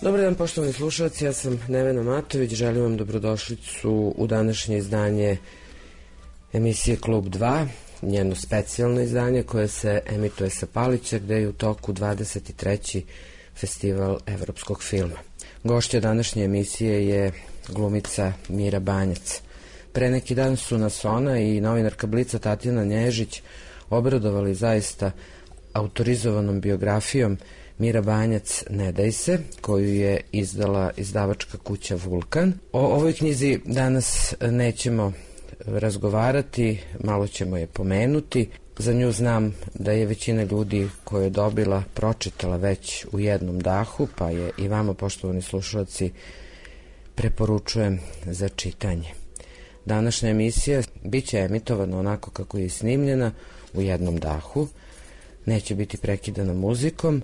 Dobar dan, poštovani slušalci, ja sam Nevena Matović, želim vam dobrodošlicu u današnje izdanje emisije Klub 2, njeno specijalno izdanje koje se emituje sa Palića, gde je u toku 23. festival evropskog filma. Gošća današnje emisije je glumica Mira Banjac. Pre neki dan su nas ona i novinarka Blica Tatjana Nježić obradovali zaista autorizovanom biografijom Mira Banjac Ne daj se, koju je izdala izdavačka kuća Vulkan. O ovoj knjizi danas nećemo razgovarati, malo ćemo je pomenuti. Za nju znam da je većina ljudi koje je dobila pročitala već u jednom dahu, pa je i vama, poštovani slušalci, preporučujem za čitanje. Današnja emisija biće emitovana onako kako je snimljena, u jednom dahu. Neće biti prekidana muzikom,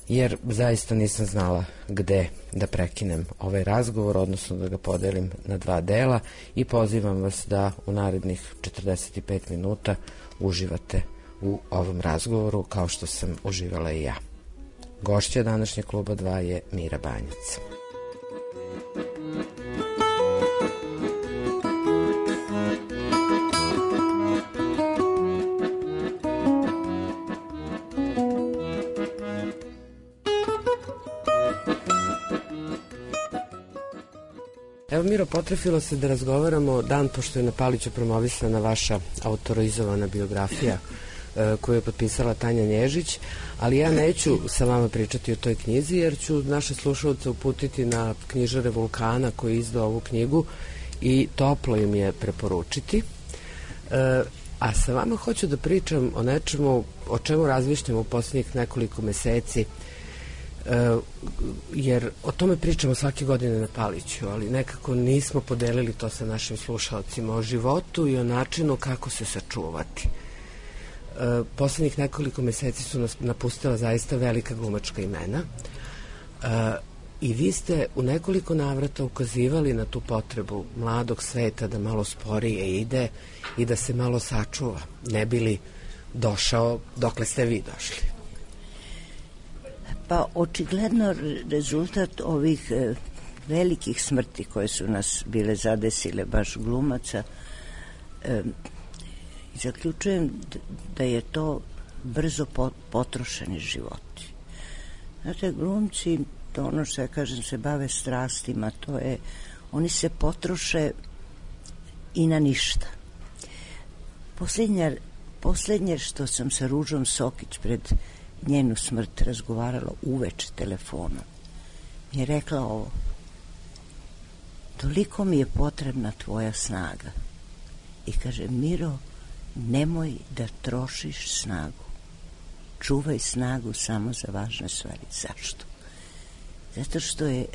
jer zaista nisam znala gde da prekinem ovaj razgovor, odnosno da ga podelim na dva dela, i pozivam vas da u narednih 45 minuta uživate u ovom razgovoru kao što sam uživala i ja. Gošća današnje Kluba 2 je Mira Banjac. Evo, Miro, potrefilo se da razgovaramo dan pošto je na Paliću promovisana vaša autorizovana biografija koju je potpisala Tanja Nježić, ali ja neću sa vama pričati o toj knjizi jer ću naše slušalce uputiti na knjižare Vulkana koji je izdao ovu knjigu i toplo im je preporučiti. A sa vama hoću da pričam o nečemu o čemu razmišljamo u posljednjih nekoliko meseci, jer o tome pričamo svake godine na Paliću, ali nekako nismo podelili to sa našim slušalcima, o životu i o načinu kako se sačuvati. Poslednjih nekoliko meseci su nas napustila zaista velika glumačka imena i vi ste u nekoliko navrata ukazivali na tu potrebu mladog sveta da malo sporije ide i da se malo sačuva, ne bi li došao dokle ste vi došli. Pa očigledno rezultat ovih velikih smrti koje su nas bile zadesile, baš glumaca, zaključujem da je to brzo potrošeni životi. Znate, glumci, to ono što ja kažem, se bave strastima, to je, oni se potroše i na ništa. Poslednje što sam sa Ružom Sokić pred njenu smrt razgovarala uveče telefonom, mi je rekla ovo: toliko mi je potrebna tvoja snaga. I kaže: Miro, nemoj da trošiš snagu, čuvaj snagu samo za važne stvari. Zašto? Zato što je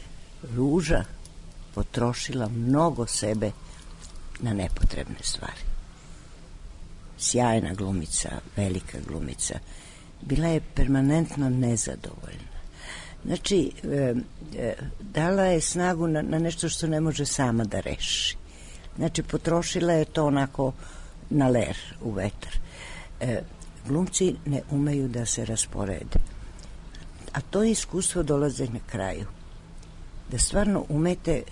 Ruža potrošila mnogo sebe na nepotrebne stvari. Sjajna glumica, velika glumica, bila je permanentno nezadovoljna. Znači, dala je snagu na nešto što ne može sama da reši. Znači, potrošila je to onako na ler, u vetar. Glumci ne umeju da se rasporede. A to iskustvo dolaze na kraju. Da stvarno umete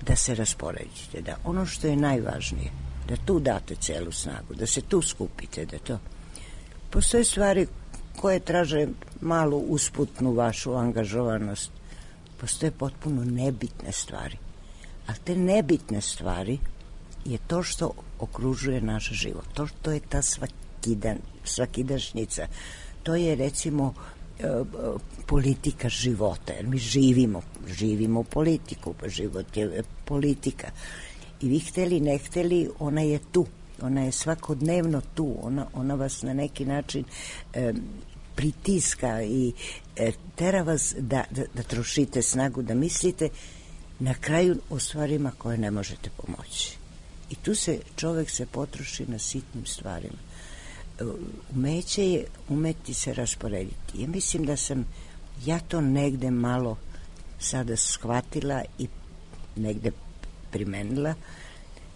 da se rasporedite, da ono što je najvažnije, da tu date celu snagu, da se tu skupite, da to... Postoje stvari koje traže malu usputnu vašu angažovanost. Postoje potpuno nebitne stvari. A te nebitne stvari je to što okružuje naš život. To je ta svakidašnjica. To je, recimo, politika života. Jer mi živimo politiku. Život je politika. I vi hteli, ne hteli, ona je tu. Ona je svakodnevno tu. Ona vas na neki način pritiska i tera vas da trošite snagu, da mislite na kraju o stvarima koje ne možete pomoći. I tu čovek se potroši na sitnim stvarima. Umeće je umeti se rasporediti. Ja mislim da sam ja to negde malo sada shvatila i negde primenila,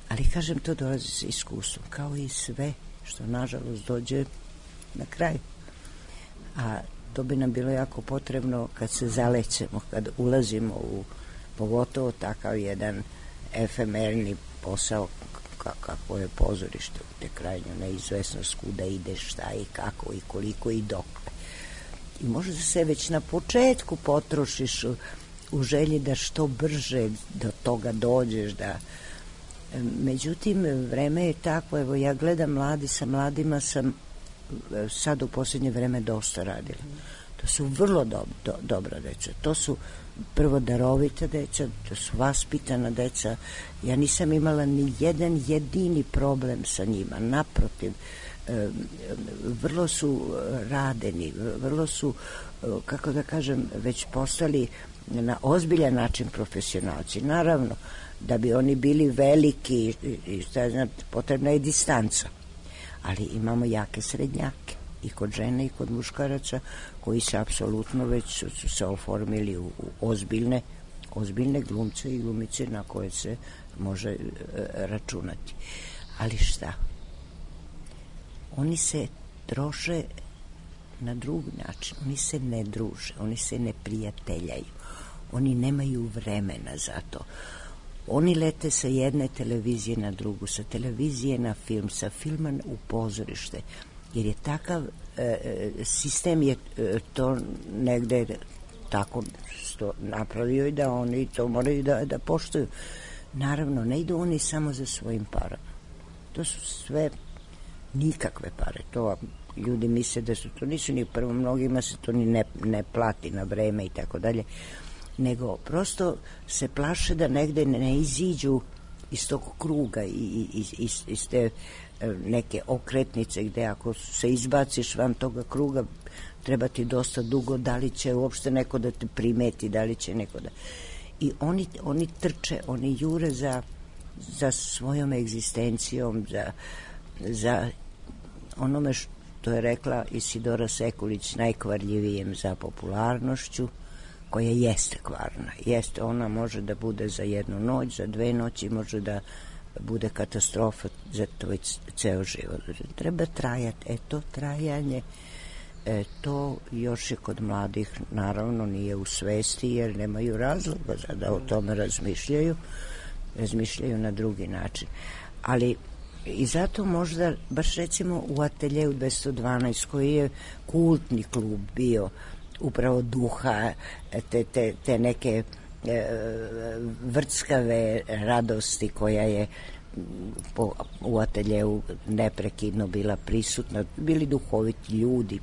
ali kažem, to dolazi sa iskustvom, kao i sve što nažalost dođe na kraj. A to bi nam bilo jako potrebno kad se zalećemo, kad ulazimo u pogotovo takav jedan efemerni posao kako je pozorište, te krajnju neizvesnost kuda ide, šta i kako i koliko i dokle. I možda se već na početku potrošiš u želji da što brže do toga dođeš, međutim vreme je takvo, evo ja gledam sa mladima sam sad u posljednje vreme dosta radila. To su vrlo dobra deca, to su prvo darovita deca, to su vaspitana deca. Ja nisam imala ni jedan jedini problem sa njima, naprotiv, vrlo su radeni, vrlo su, kako da kažem, već postali na ozbiljan način profesionalci. Naravno, da bi oni bili veliki, potrebna je distanca, ali imamo jake srednjake i kod žene i kod muškaraca koji se apsolutno već su se oformili u ozbiljne glumce i glumice na koje se može računati. Ali šta? Oni se troše na drugi način, oni se ne druže, oni se ne prijateljaju, oni nemaju vremena za to. Oni lete sa jedne televizije na drugu, sa televizije na film, sa filma u pozorište, jer je takav sistem je to negde tako napravio i da oni to moraju da poštuju. Naravno, ne idu oni samo za svojim parama. To su sve nikakve pare. To ljudi misle da su to, nisu ni prvo, mnogima se to ni ne plati na vreme i tako dalje, nego prosto se plaše da negde ne iziđu iz tog kruga i iz te neke okretnice gde ako se izbaciš van toga kruga treba ti dosta dugo, da li će uopšte neko da te primeti, da li će neko da... I oni trče, oni jure za svojom egzistencijom, za onome što je rekla Isidora Sekulić, najkvarljivijem, za popularnošću, koja jeste kvarna. Jeste, ona može da bude za jednu noć, za 2 noći, može da bude katastrofa za tvoj ceo život. Treba trajati. To trajanje, to još je kod mladih, naravno nije u svesti, jer nemaju razloga da o tome razmišljaju na drugi način. Ali i zato možda, baš recimo u Ateljeu 212, koji je kultni klub bio, upravo duha, te neke vrckave radosti koja je u Ateljeu neprekidno bila prisutna, bili duhoviti ljudi,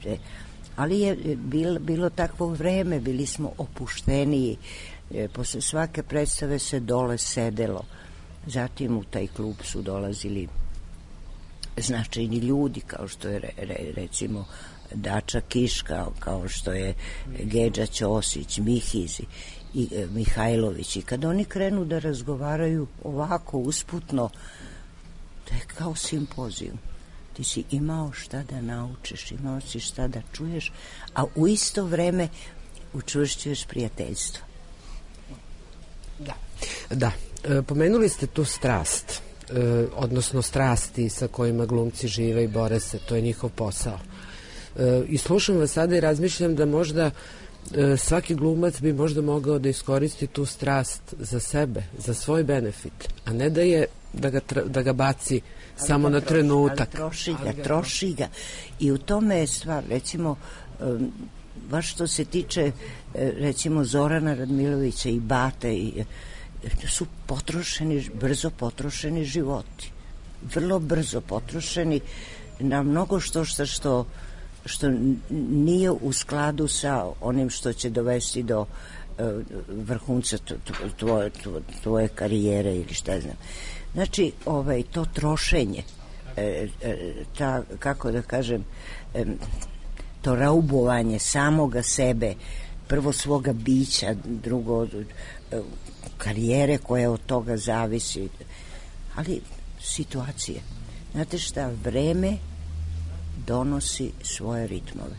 ali je bilo takvo vreme, bili smo opušteniji, posle svake predstave se dole sedelo, zatim u taj klub su dolazili značajni ljudi, kao što je recimo Dača Kiš, kao što je Gedža Ćosić, Mihiz i Mihajlović, i kad oni krenu da razgovaraju ovako usputno, to je kao simpozijum. Ti si imao šta da naučiš, imao si šta da čuješ, a u isto vreme učvršćuješ prijateljstvo. Da. Pomenuli ste tu strast, odnosno strasti sa kojima glumci žive i bore se, to je njihov posao. I slušam vas sada i razmišljam da možda svaki glumac bi možda mogao da iskoristi tu strast za sebe, za svoj benefit, a ne da ga baci samo na trenutak. Troši ga. I u tome je stvar, recimo, baš što se tiče recimo Zorana Radmilovića i Bate, su brzo potrošeni životi. Vrlo brzo potrošeni na mnogo što nije u skladu sa onim što će dovesti do vrhunca tvoje karijere ili šta znam. Znači, to trošenje, kako da kažem, to raubovanje samoga sebe, prvo svoga bića, drugo karijere koja od toga zavisi, ali situacije. Znate šta, vreme donosi svoje ritmove.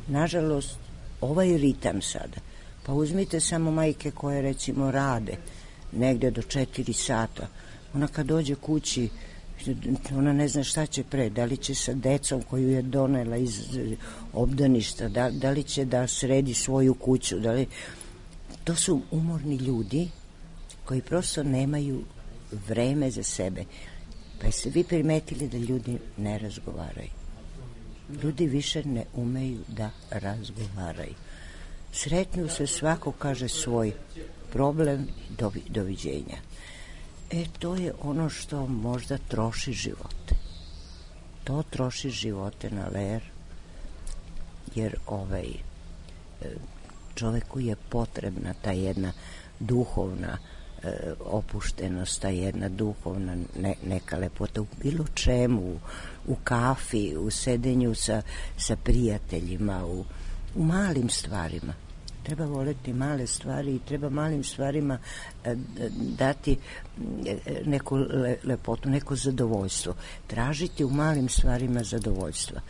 Nažalost, ovaj ritam sada, pa uzmite samo majke koje recimo rade negde do 4 sata, ona kad dođe kući Ona ne zna šta će pre, da li će sa decom koju je donela iz obdaništa, da li će da sredi svoju kuću, to su umorni ljudi koji prosto nemaju vreme za sebe. Pa jeste vi primetili da ljudi ne razgovaraju? Ljudi više ne umeju da razgovaraju. Sretnu se, svako kaže svoj problem, doviđenja. To je ono što možda troši živote. To troši živote na ler, jer čoveku je potrebna ta jedna duhovna opuštenost, ta jedna duhovna neka lepota u bilo čemu, u kafi, u sedenju sa prijateljima, u malim stvarima. Treba voleti male stvari i treba malim stvarima dati neku lepotu, neko zadovoljstvo. Tražiti u malim stvarima zadovoljstva.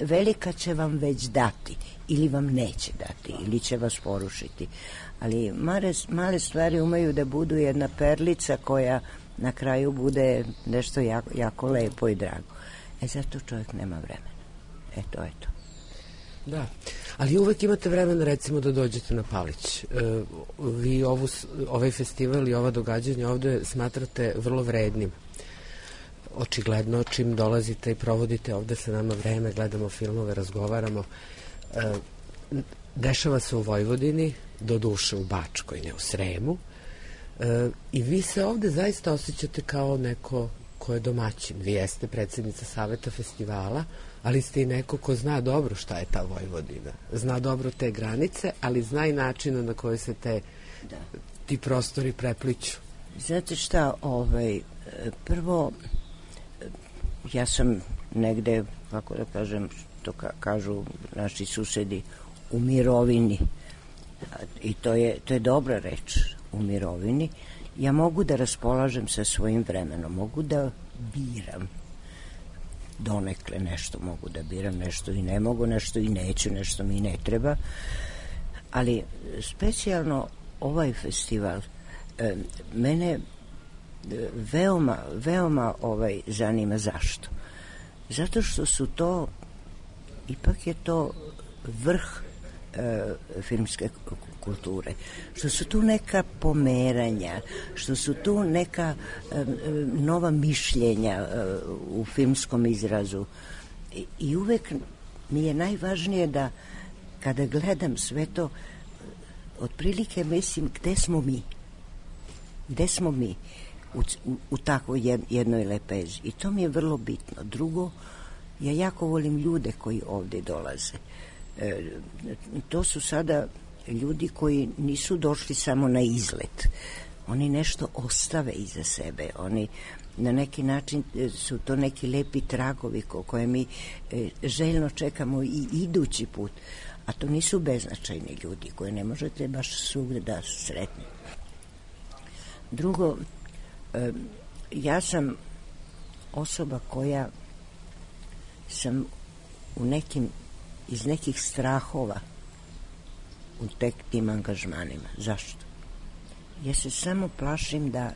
Velika će vam već dati ili vam neće dati ili će vas porušiti. Ali male stvari umeju da budu jedna perlica koja na kraju bude nešto jako lepo i drago. Zato čovjek nema vremena. To je to. Da, ali uvek imate vremena recimo da dođete na Palić. Vi ovaj festival i ova događanja ovde smatrate vrlo vrednim. Očigledno čim dolazite i provodite ovde sa nama vreme, gledamo filmove, razgovaramo. Dešava se u Vojvodini, do duše u Bačkoj, ne u Sremu. I vi se ovde zaista osjećate kao neko ko je domaćin. Vi jeste predsjednica Saveta festivala, ali ste i neko ko zna dobro šta je ta Vojvodina. Zna dobro te granice, ali zna i načina na koji se ti prostori prepliću. Znate šta, prvo, ja sam negde, kako da kažem, što kažu naši susedi, u mirovini. I to je dobra reč, u mirovini. Ja mogu da raspolažem sa svojim vremenom, mogu da biram. Donekle nešto mogu da biram, nešto i ne mogu, nešto i neću, nešto mi ne treba. Ali specijalno ovaj festival mene veoma zanima. Zašto? Zato što su to, ipak je to vrh filmske kulture, što su tu neka pomeranja, što su tu neka nova mišljenja u filmskom izrazu i uvek mi je najvažnije da kada gledam sve to otprilike mislim gde smo mi u takvoj jednoj lepezi i to mi je vrlo bitno. Drugo, ja jako volim ljude koji ovde dolaze. To su sada ljudi koji nisu došli samo na izlet. Oni nešto ostave iza sebe. Oni na neki način su to neki lepi tragovi koje mi željno čekamo i idući put. A to nisu beznačajni ljudi koje ne možete baš svugde da sretnete. Drugo, ja sam osoba koja sam iz nekih strahova u tim angažmanima. Zašto? Ja se samo plašim da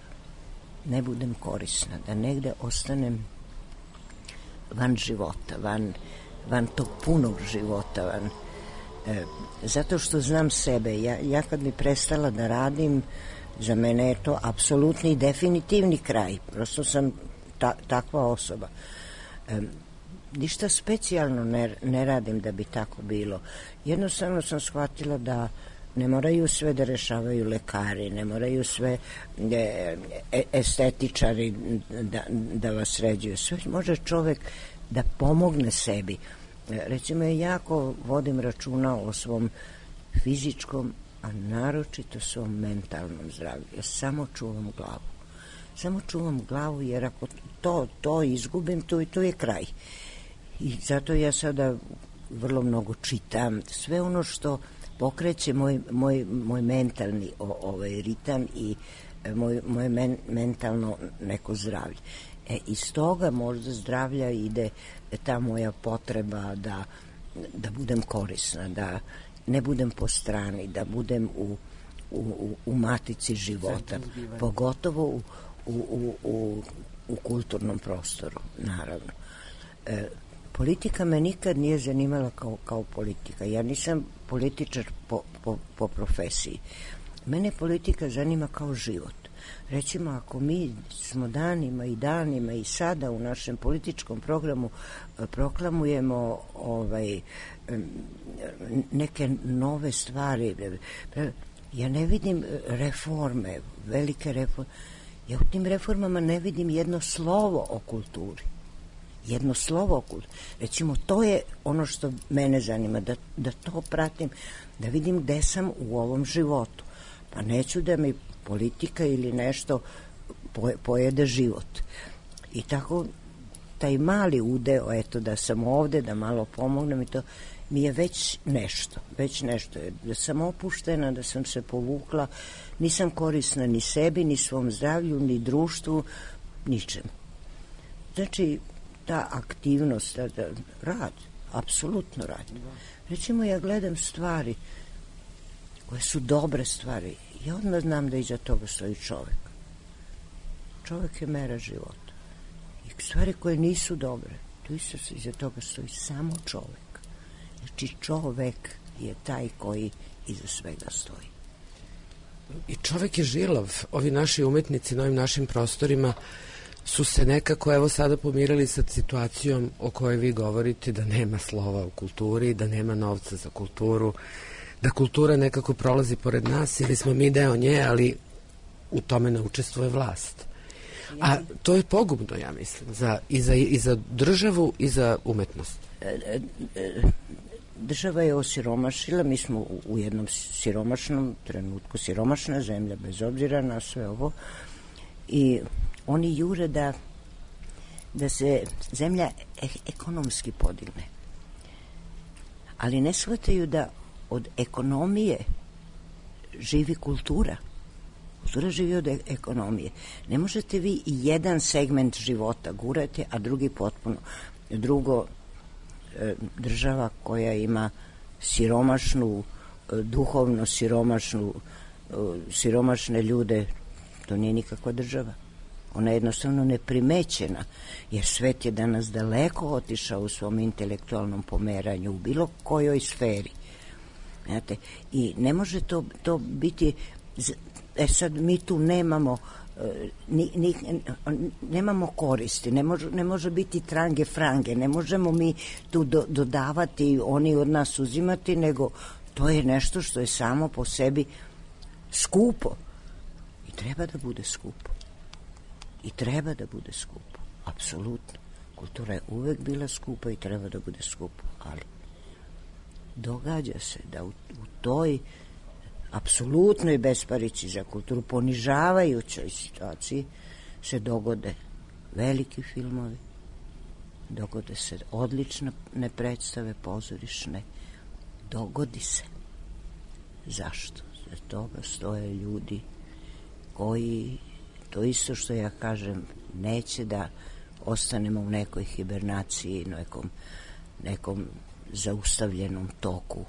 ne budem korisna, da negde ostanem van života, van tog punog života, zato što znam sebe. Ja kad bi prestala da radim, za mene je to apsolutni i definitivni kraj. Prosto sam takva osoba. Ništa specijalno ne radim da bi tako bilo. Jednostavno sam shvatila da ne moraju sve da rešavaju lekari, ne moraju sve estetičari da vas sređuju. Sve može čovek da pomogne sebi. Recimo, ja jako vodim računa o svom fizičkom, a naročito svom mentalnom zdravlju. Ja samo čuvam glavu. Samo čuvam glavu, jer ako to izgubim, to je kraj. I zato ja sada vrlo mnogo čitam. Sve ono što pokreće moj mentalni ritam i moje mentalno neko zdravlje. Iz toga možda zdravlja ide ta moja potreba da budem korisna, da ne budem po strani, da budem u matici života. Pogotovo u u kulturnom prostoru, naravno. Politika me nikad nije zanimala kao politika. Ja nisam političar po profesiji. Mene politika zanima kao život. Recimo, ako mi smo danima i sada u našem političkom programu proklamujemo neke nove stvari, ja ne vidim reforme, velike reforme. Ja u tim reformama ne vidim jedno slovo o kulturi. Jedno slovo o kulturi. Recimo, to je ono što mene zanima, da to pratim, da vidim gde sam u ovom životu. Pa neću da mi politika ili nešto pojede život. I tako taj mali udeo, eto, da sam ovde, da malo pomognem i to, mi je već nešto. Da sam opuštena, da sam se povukla, nisam korisna ni sebi, ni svom zdravlju, ni društvu, ničemu. Znači, ta aktivnost, rad, apsolutno rad. Recimo, ja gledam stvari koje su dobre stvari. Ja odmah znam da iza toga stoji čovek. Čovek je mera života. I stvari koje nisu dobre, tu iza toga stoji samo čovek. Znači, čovek je taj koji iza svega stoji. I čovek je žilav. Ovi naši umetnici na ovim našim prostorima su se nekako evo sada pomirali sa situacijom o kojoj vi govorite, da nema slova u kulturi, da nema novca za kulturu, da kultura nekako prolazi pored nas ili smo mi deo nje, ali u tome ne učestvuje vlast. A to je pogubno, ja mislim, i za državu i za umetnost. Država je osiromašila, mi smo u jednom siromašnom trenutku, siromašna zemlja, bez obzira na sve ovo, i oni jure da se zemlja ekonomski podigne. Ali ne shvataju da od ekonomije živi kultura. Kultura živi od ekonomije. Ne možete vi jedan segment života gurati, a drugi potpuno. Drugo, država koja ima siromašnu, duhovno siromašne ljude, to nije nikakva država. Ona je jednostavno neprimećena, jer svet je danas daleko otišao u svom intelektualnom pomeranju, u bilo kojoj sferi. Znate, i ne može to biti, sad mi tu nemamo koristi, ne može biti trange frange, ne možemo mi tu dodavati, oni od nas uzimati, nego to je nešto što je samo po sebi skupo i treba da bude skupo. Apsolutno. Kultura je uvek bila skupa i treba da bude skupa, ali događa se da u toj apsolutnoj besparici za kulturu, ponižavajućoj situaciji, se dogode veliki filmovi, dogode se odlične predstave pozorišne, dogodi se. Zašto? Za toga stoje ljudi koji, to isto što ja kažem, neće da ostanemo u nekoj hibernaciji, nekom zaustavljenom toku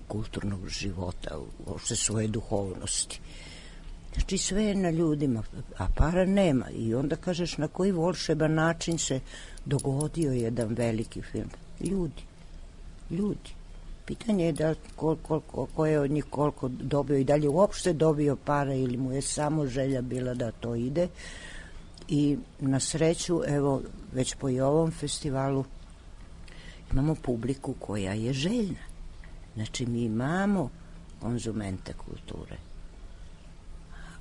kulturnog života, uopšte svoje duhovnosti. Znači, sve je na ljudima, a para nema. I onda kažeš na koji volšeban način se dogodio jedan veliki film. Ljudi. Pitanje je da ko je od njih koliko dobio i dalje uopšte dobio para ili mu je samo želja bila da to ide. I na sreću, evo, već po i ovom festivalu imamo publiku koja je željna. Znači, mi imamo konzumente kulture,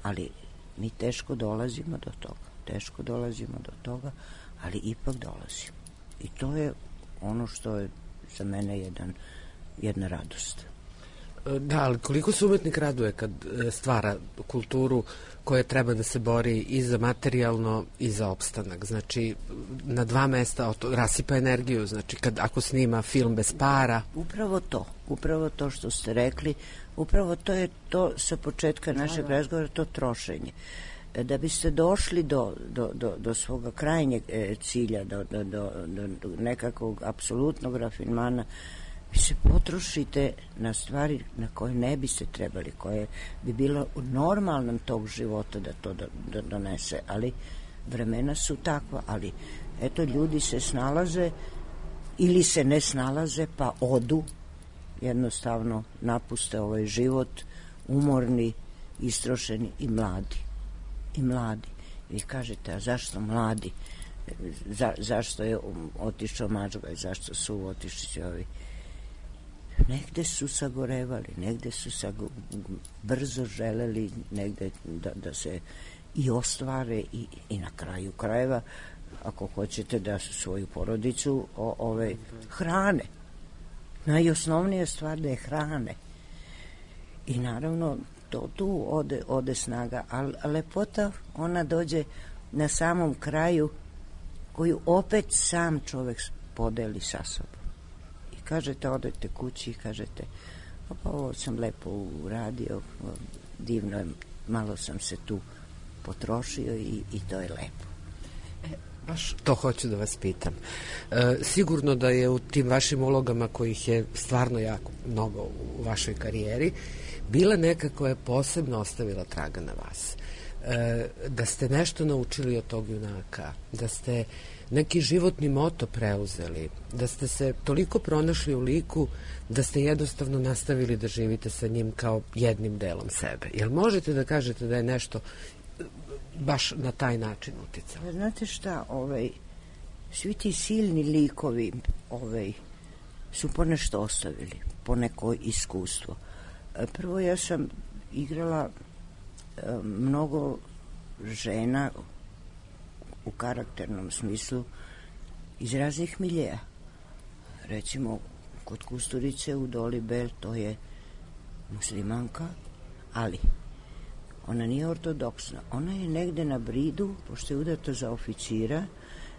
ali mi teško dolazimo do toga, ali ipak dolazimo. I to je ono što je za mene jedna radost. Da, ali koliko se umetnik raduje kad stvara kulturu koja treba da se bori i za materijalno i za opstanak. Znači, na dva mesta rasipa energiju, znači ako snima film bez para. Upravo to što ste rekli, upravo to je to sa početka našeg razgovora, to trošenje. Da biste došli do svoga krajnjeg cilja, do nekakvog apsolutnog rafinmana, vi se potrošite na stvari na koje ne biste trebali, koje bi bilo u normalnom tog života da to donese, ali vremena su takva, ali eto, ljudi se snalaze ili se ne snalaze, pa odu, jednostavno napuste ovaj život, umorni, istrošeni i mladi. Vi kažete, a zašto mladi? Zašto je otišao Mačgaj, zašto su otišli ovi? Negde su sagorevali, negde su brzo želeli negde da se i ostvare i na kraju krajeva, ako hoćete, da svoju porodicu hrane. Najosnovnija stvar da je hrane. I naravno tu ode snaga, ali lepota ona dođe na samom kraju, koju opet sam čovek podeli sa sobom. I kažete, odete kući i kažete, pa ovo sam lepo uradio, divno je, malo sam se tu potrošio i to je lepo. Baš to hoću da vas pitam. Sigurno da je u tim vašim ulogama, kojih je stvarno jako mnogo u vašoj karijeri, bila neka koja je posebno ostavila traga na vas. Da ste nešto naučili od tog junaka, da ste neki životni moto preuzeli, da ste se toliko pronašli u liku da ste jednostavno nastavili da živite sa njim kao jednim delom sebe. Jel možete da kažete da je nešto baš na taj način uticalo? Znate šta, svi ti silni likovi su ponešto ostavili, poneko iskustvo. Prvo, ja sam igrala mnogo žena u karakternom smislu iz raznih miljeja. Recimo, kod Kusturice u Doli Bel, to je muslimanka, ali ona nije ortodoksna. Ona je negde na bridu, pošto je udata za oficira,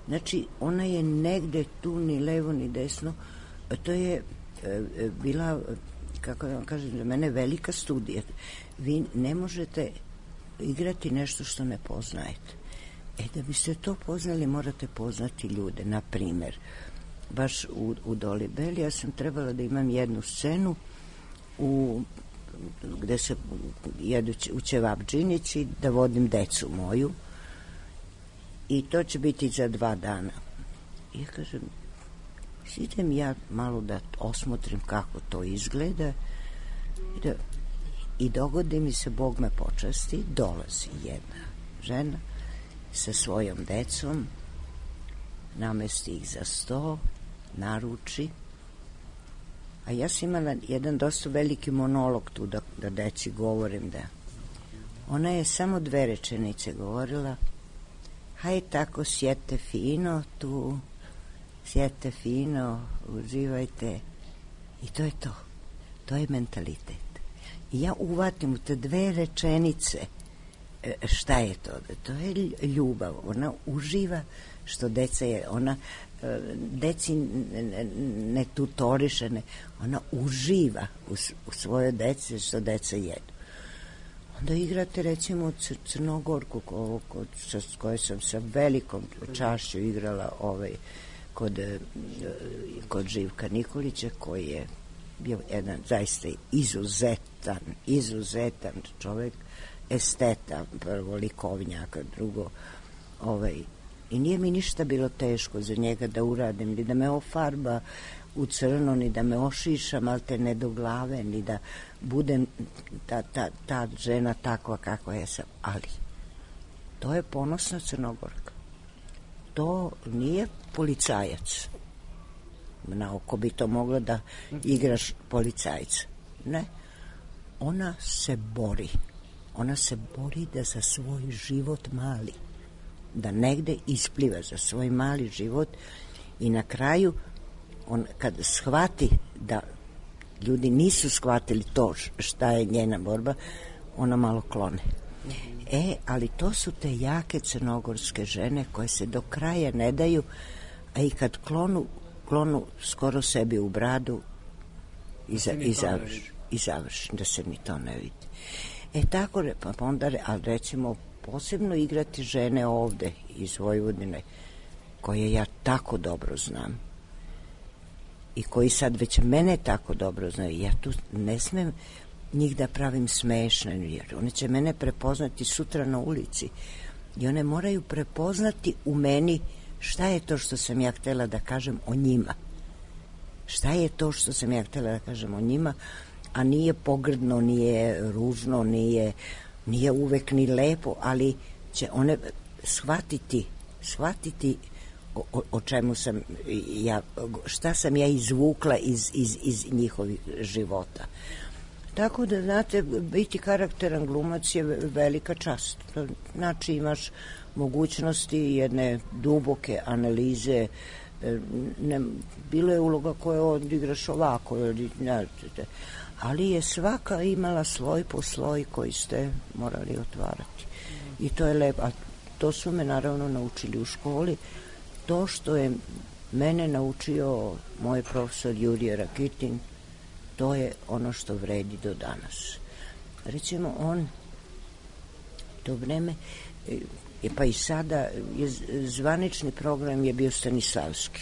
znači ona je negde tu ni levo ni desno. To je bila, kako da vam kažem, za mene velika studija. Vi ne možete igrati nešto što ne poznajete. Da biste to poznali, morate poznati ljude. Na primer, baš u Doli Bel, ja sam trebala da imam jednu scenu gde se jedu u ćevabdžinici, da vodim decu moju, i to će biti za 2 dana. I ja kažem, idem ja malo da osmotrim kako to izgleda, i dogodi mi se, Bog me počasti, dolazi jedna žena sa svojom decom, namesti ih za sto, naruči, a ja sam imala jedan dosta veliki monolog tu da deci govorim, da ona je samo 2 rečenice govorila, haj tako, sjete fino tu, sjete fino, uživajte, i to je to je mentalitet. I ja uvatim u te 2 rečenice šta je to? To je ljubav. Ona uživa što deca je. Ona deci ne tutoriše, ona uživa u svojoj deci što deca jedu. Onda igrate recimo Crnogorku, s kojoj sam sa velikom čašću igrala kod Živka Nikolića, koji je bio jedan zaista izuzetan čovek, esteta, prvo likovnjaka, drugo, i nije mi ništa bilo teško za njega da uradim, ni da me ofarba u crno, ni da me ošiša malte ne do glave, ni da budem ta žena takva kakva ja sam, ali to je ponosna Crnogorka. To nije policajac. Na oko bi to moglo da igraš policajca. Ne. Ona se bori. Ona se bori da za svoj život mali, da negde ispliva za svoj mali život, i na kraju kad shvati da ljudi nisu shvatili to šta je njena borba, ona malo klone. Ali to su te jake crnogorske žene koje se do kraja ne daju, a i kad klonu skoro sebi u bradu i završi, da se ni to ne vidi. Tako, pa onda, ali recimo posebno igrati žene ovde iz Vojvodine, koje ja tako dobro znam i koji sad već mene tako dobro znaju. Ja tu ne smem njih da pravim smešne, jer one će mene prepoznati sutra na ulici. i one moraju prepoznati u meni šta je to što sam ja htela da kažem o njima. Šta je to što sam ja htela da kažem o njima, a nije pogrdno, nije ružno, nije uvek ni lepo, ali će one shvatiti o čemu sam ja, šta sam ja izvukla iz njihovih života. Tako da, znate, biti karakteran glumac je velika čast. Znači, imaš mogućnosti jedne duboke analize. Bilo je uloga koje odigraš ovako, ali je svaka imala sloj po sloj koji ste morali otvarati. I to je lepo. A to su me naravno naučili u školi. To što je mene naučio moj profesor Jurije Rakitin, to je ono što vredi do danas. Recimo, on to vreme, pa i sada, zvanični program je bio Stanislavski.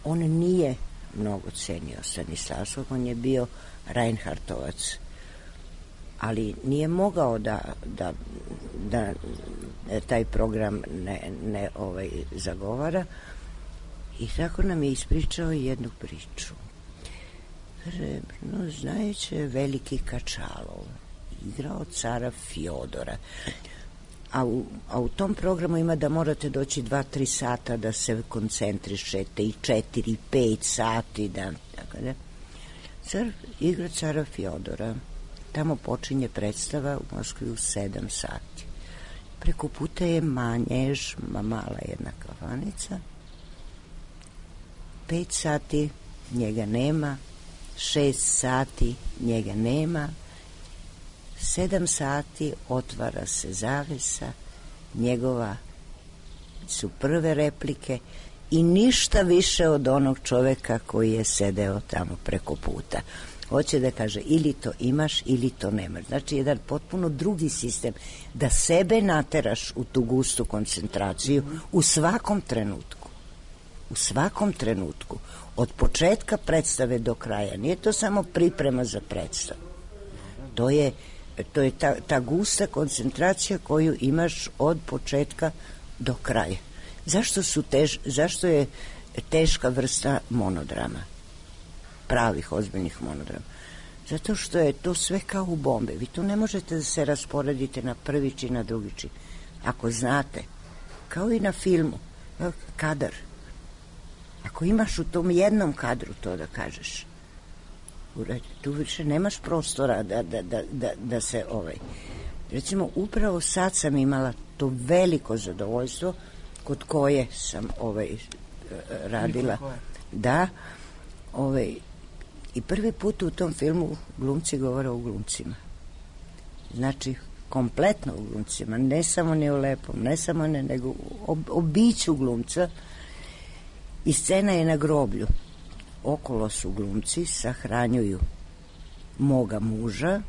On nije mnogo cenio Stanislavskog, on je bio Reinhardtovac, ali nije mogao da taj program ne zagovara, i tako nam je ispričao jednu priču. Znajući veliki Kačalov igrao cara Fjodora, a u tom programu ima da morate doći 2-3 sata da se koncentrišete, i 4-5 sati tako da. Igra cara Fjodora, tamo počinje predstava u Moskvi u 7 sati. Preko puta je Manjež, mala jedna kafanica. 5 sati njega nema, 6 sati njega nema, 7 sati otvara se zavesa, njegova su prve replike i ništa više od onog čoveka koji je sedeo tamo preko puta. Hoće da kaže ili to imaš ili to nemaš. Znači jedan potpuno drugi sistem, da sebe nateraš u tu gustu koncentraciju u svakom trenutku. U svakom trenutku. Od početka predstave do kraja. Nije to samo priprema za predstavu. To je ta gusta koncentracija koju imaš od početka do kraja. Zašto je teška vrsta monodrama? Pravih, ozbiljnih monodrama. Zato što je to sve kao u bombe. Vi tu ne možete da se rasporedite na prvi čin, na drugi čin. Ako znate, kao i na filmu, kadar. Ako imaš u tom jednom kadru to da kažeš, tu više nemaš prostora da se Recimo, upravo sad sam imala to veliko zadovoljstvo kod koje sam radila. Da, i prvi put u tom filmu glumci govore o glumcima. Znači, kompletno o glumcima, ne samo ni o lepom, ne samo nego o biću glumca. I scena je na groblju. Okolo su glumci, sahranjuju moga muža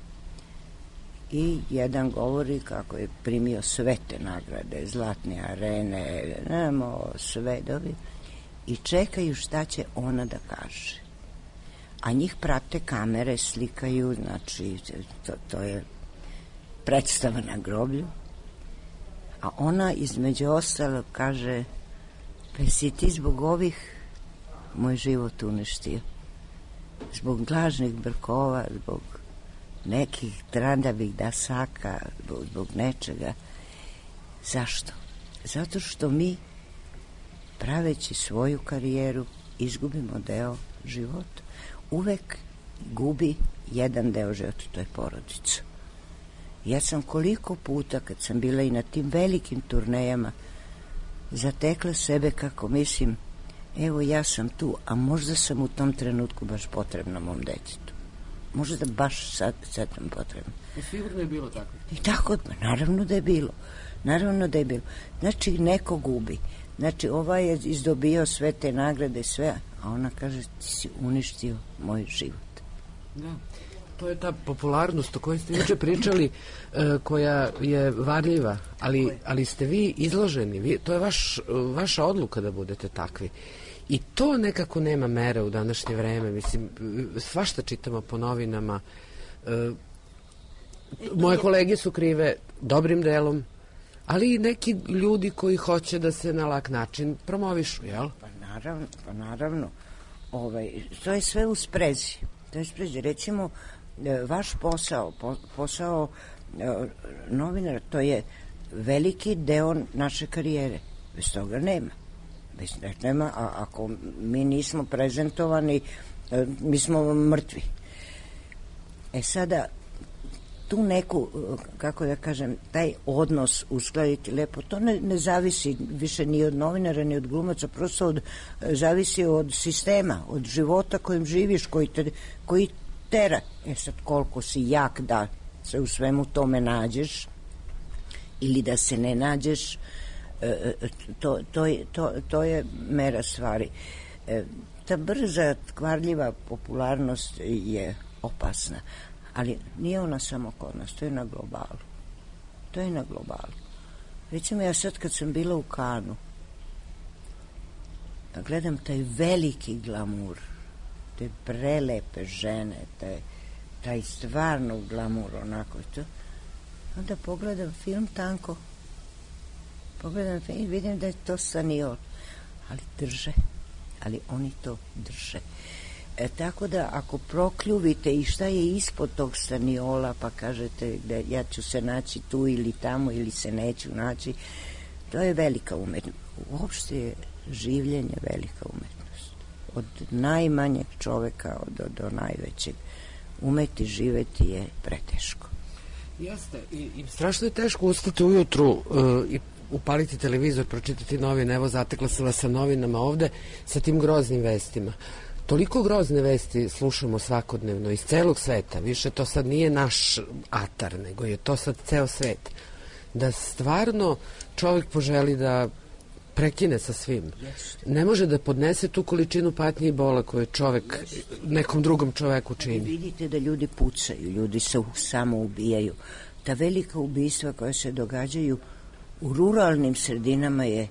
i jedan govori kako je primio sve te nagrade, zlatne arene, sve dobi, i čekaju šta će ona da kaže. A njih prate kamere, slikaju, znači to je predstava na groblju. A ona između ostalog kaže: pa si ti zbog ovih moj život uništio? Zbog lažnih brkova, zbog nekih trandavih dasaka, zbog nečega. Zašto? Zato što mi, praveći svoju karijeru, izgubimo deo života. Uvek gubi jedan deo života, to je porodica. Ja sam koliko puta, kad sam bila i na tim velikim turnejama, zatekla sebe kako mislim, evo ja sam tu, a možda sam u tom trenutku baš potrebna mom detetu. Možda baš sad nam potrebno. I sigurno je bilo tako? I tako, naravno da je bilo. Naravno da je bilo. Znači, neko gubi. Znači, ovaj je izdobio sve te nagrade, sve, a ona kaže, ti si uništio moj život. Da. To je ta popularnost o kojoj ste juče pričali, koja je varljiva, ali ste vi izloženi, to je vaša odluka da budete takvi. I to nekako nema mere u današnje vreme. Mislim, svašta čitamo po novinama. Moje kolege su krive dobrim delom, ali i neki ljudi koji hoće da se na lak način promovišu, jel? Pa naravno. To je sve u sprezi. Recimo, vaš posao novinara, to je veliki deo naše karijere. Bez toga nema. A ako mi nismo prezentovani, mi smo mrtvi. Sada, tu neku, kako da kažem, taj odnos uskladiti lepo, to ne zavisi više ni od novinara, ni od glumaca, prosto zavisi od sistema, od života kojim živiš, koji tera. Sad, koliko si jak da se u svemu tome nađeš ili da se ne nađeš, to je mera stvari. Ta brza, kvarljiva popularnost je opasna, ali nije ona samo kod nas, to je na globalu. Recimo, ja sad kad sam bila u Kanu, gledam taj veliki glamur, te prelepe žene, taj stvarno glamur, onako to, onda pogledam film Tanko, i vidim da je to Staniol, ali oni to drže. Tako da ako prokljuvite i šta je ispod tog Staniola, pa kažete da ja ću se naći tu ili tamo ili se neću naći, to je velika umetnost. Uopšte je življenje velika umetnost. Od najmanjeg čoveka do najvećeg. Umeti živeti je preteško. Jeste, i strašno je teško ustati ujutru i upaliti televizor, pročitati novine. Evo, zatekla sam vas sa novinama ovde, sa tim groznim vestima. Toliko grozne vesti slušamo svakodnevno iz celog sveta, više to sad nije naš atar, nego je to sad ceo svet, da stvarno čovjek poželi da prekine sa svim. Ne može da podnese tu količinu patnje i bola koju čovjek nekom drugom čoveku čini. Vidite da ljudi pucaju, ljudi se samo ubijaju. Ta velika ubistva koja se događaju u ruralnim sredinama je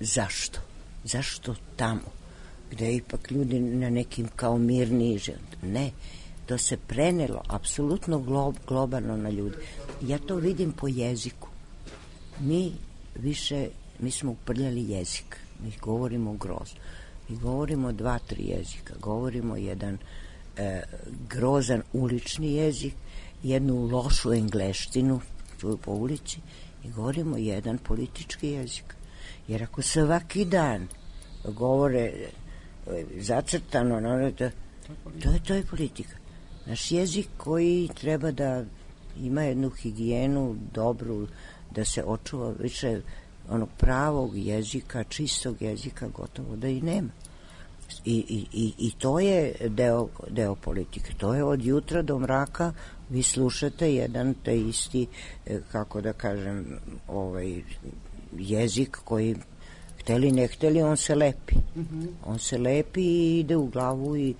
zašto? Zašto tamo? Gde ipak ljudi na nekim kao mirniji život. Ne, to se prenelo apsolutno globalno na ljudi. Ja to vidim po jeziku. Mi smo uprljali jezik. Mi govorimo grozno. Mi govorimo 2-3 jezika. Govorimo jedan grozan ulični jezik, jednu lošu engleštinu, čuju po ulici, i govorimo jedan politički jezik. Jer ako svaki dan govore zacrtano, to je politika. Naš jezik koji treba da ima jednu higijenu dobru, da se očuva više onog pravog jezika, čistog jezika, gotovo da i nema. I to je deo politike. To je od jutra do mraka, vi slušate jedan te isti, kako da kažem, jezik koji, hteli ne hteli, on se lepi. On se lepi i ide u glavu i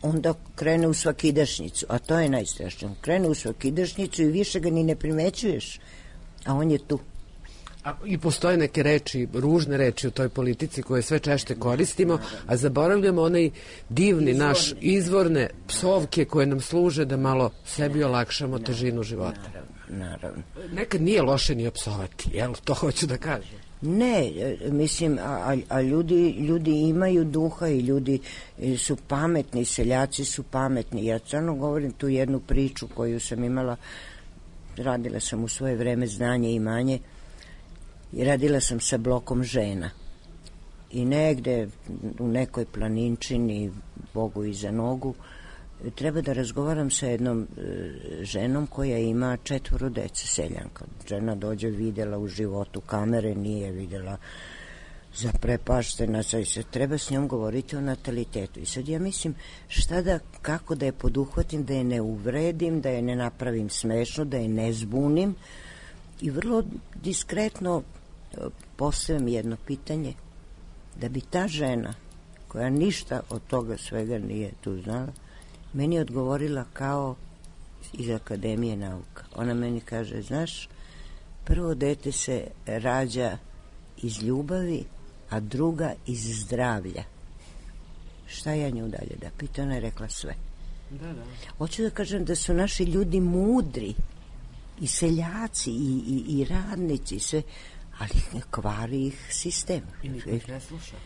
onda krene u svakidašnjicu, a to je najstrašnije. Krene u svakidašnjicu i više ga ni ne primećuješ, a on je tu. I postoje neke reči, ružne reči u toj politici koje sve češće koristimo, a zaboravljamo onaj divni naš izvorne psovke koje nam služe da malo sebi olakšamo težinu života. Naravno. Nekad nije loše ni opsovati, jel? To hoću da kažem. Ne, mislim, a ljudi imaju duha i ljudi su pametni, seljaci su pametni. Ja stvarno govorim tu jednu priču koju sam imala, radila sam u svoje vreme Znanje i imanje, i radila sam sa blokom žena. I negde u nekoj planinčini, Bogu iza nogu, treba da razgovaram sa jednom ženom koja ima 4 dece, seljanka. Žena dođe, videla u životu kamere, nije videla, zaprepaštena, sad se treba s njom govoriti o natalitetu. I sad ja mislim kako da je poduhvatim, da je ne uvredim, da je ne napravim smešno, da je ne zbunim i vrlo diskretno postavim jedno pitanje, da bi ta žena koja ništa od toga svega nije tu znala, meni odgovorila kao iz Akademije nauka. Ona meni kaže, znaš, prvo dete se rađa iz ljubavi, a druga iz zdravlja. Šta ja nju dalje da pitam? Ona je rekla sve. Da. Hoću da kažem da su naši ljudi mudri i seljaci i radnici, sve, ali kvari ih sistem. I niko ih ne sluša.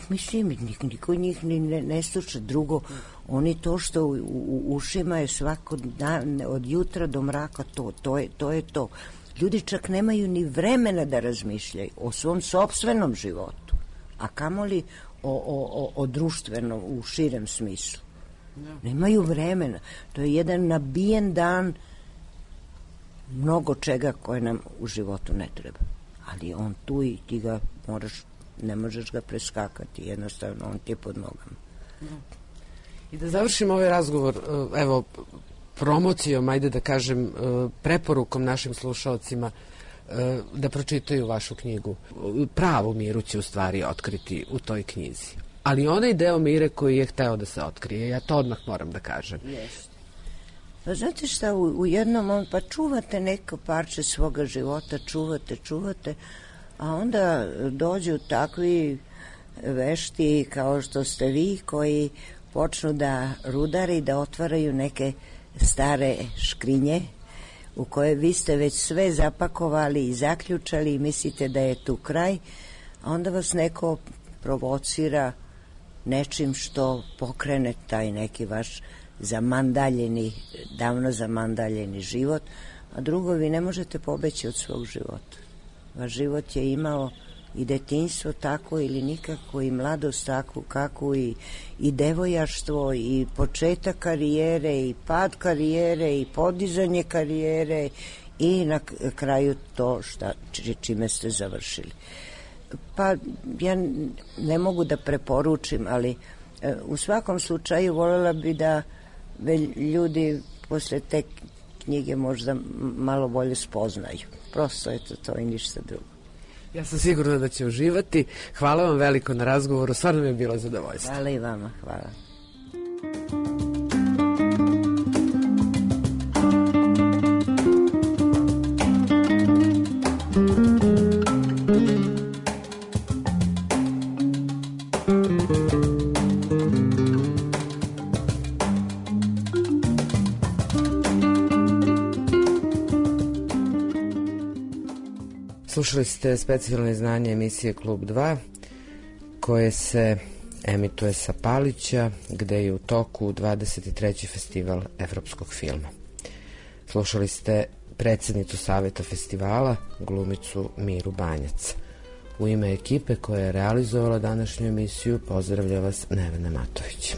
Mislim, niko njih ne sluša. Drugo, oni to što u ušima je svako dan, od jutra do mraka, to je to. Ljudi čak nemaju ni vremena da razmišljaju o svom sopstvenom životu, a kamoli o društvenom u širem smislu. Nemaju vremena. To je jedan nabijen dan mnogo čega koje nam u životu ne treba. Ali on tu i ti ga ne možeš ga preskakati, jednostavno on ti je pod nogama. I da završimo ovaj razgovor, evo, promocijom, ajde da kažem, preporukom našim slušalcima da pročitaju vašu knjigu. Pravu Miru će u stvari otkriti u toj knjizi. Ali onaj deo Mire koji je hteo da se otkrije, ja to odmah moram da kažem. Jeste. Pa znate šta, u jednom pa čuvate neko parče svoga života, čuvate, a onda dođu takvi vešti kao što ste vi, koji počnu da rudare i da otvaraju neke stare škrinje u koje vi ste već sve zapakovali i zaključali i mislite da je tu kraj, a onda vas neko provocira nečim što pokrene taj neki vaš davno zamandaljeni život, a drugo, vi ne možete pobeći od svog života. Vaš život je imao i detinjstvo tako ili nikako, i mladost takvu kakvu, i devojaštvo, i početak karijere, i pad karijere, i podizanje karijere, i na kraju to čime ste završili. Pa ja ne mogu da preporučim, ali u svakom slučaju voljela bi da ljudi posle te knjige možda malo bolje spoznaju. Prosto je to i ništa drugo. Ja sam sigurna da će uživati. Hvala vam veliko na razgovoru, stvarno mi je bilo zadovoljstvo. Hvala i vama, hvala. Slušali ste specijalno izdanje emisije Klub 2, koje se emituje sa Palića, gde je u toku 23. festival evropskog filma. Slušali ste predsjednicu Saveta festivala, glumicu Miru Banjac. U ime ekipe koja je realizovala današnju emisiju pozdravlja vas Nevena Matović.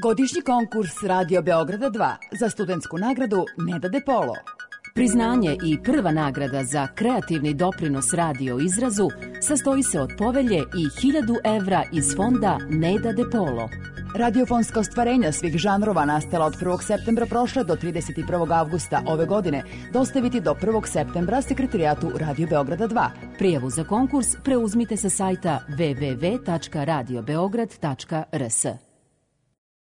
Godišnji konkurs Radio Beograda 2 za studentsku nagradu Neda De Polo. Priznanje i prva nagrada za kreativni doprinos radio izrazu sastoji se od povelje i 1000 evra iz fonda Neda De Polo. Radiofonska ostvarenja svih žanrova nastala od 1. septembra prošle do 31. avgusta ove godine dostaviti do 1. septembra sekretarijatu Radio Beograda 2. Prijavu za konkurs preuzmite sa sajta www.radiobeograd.rs.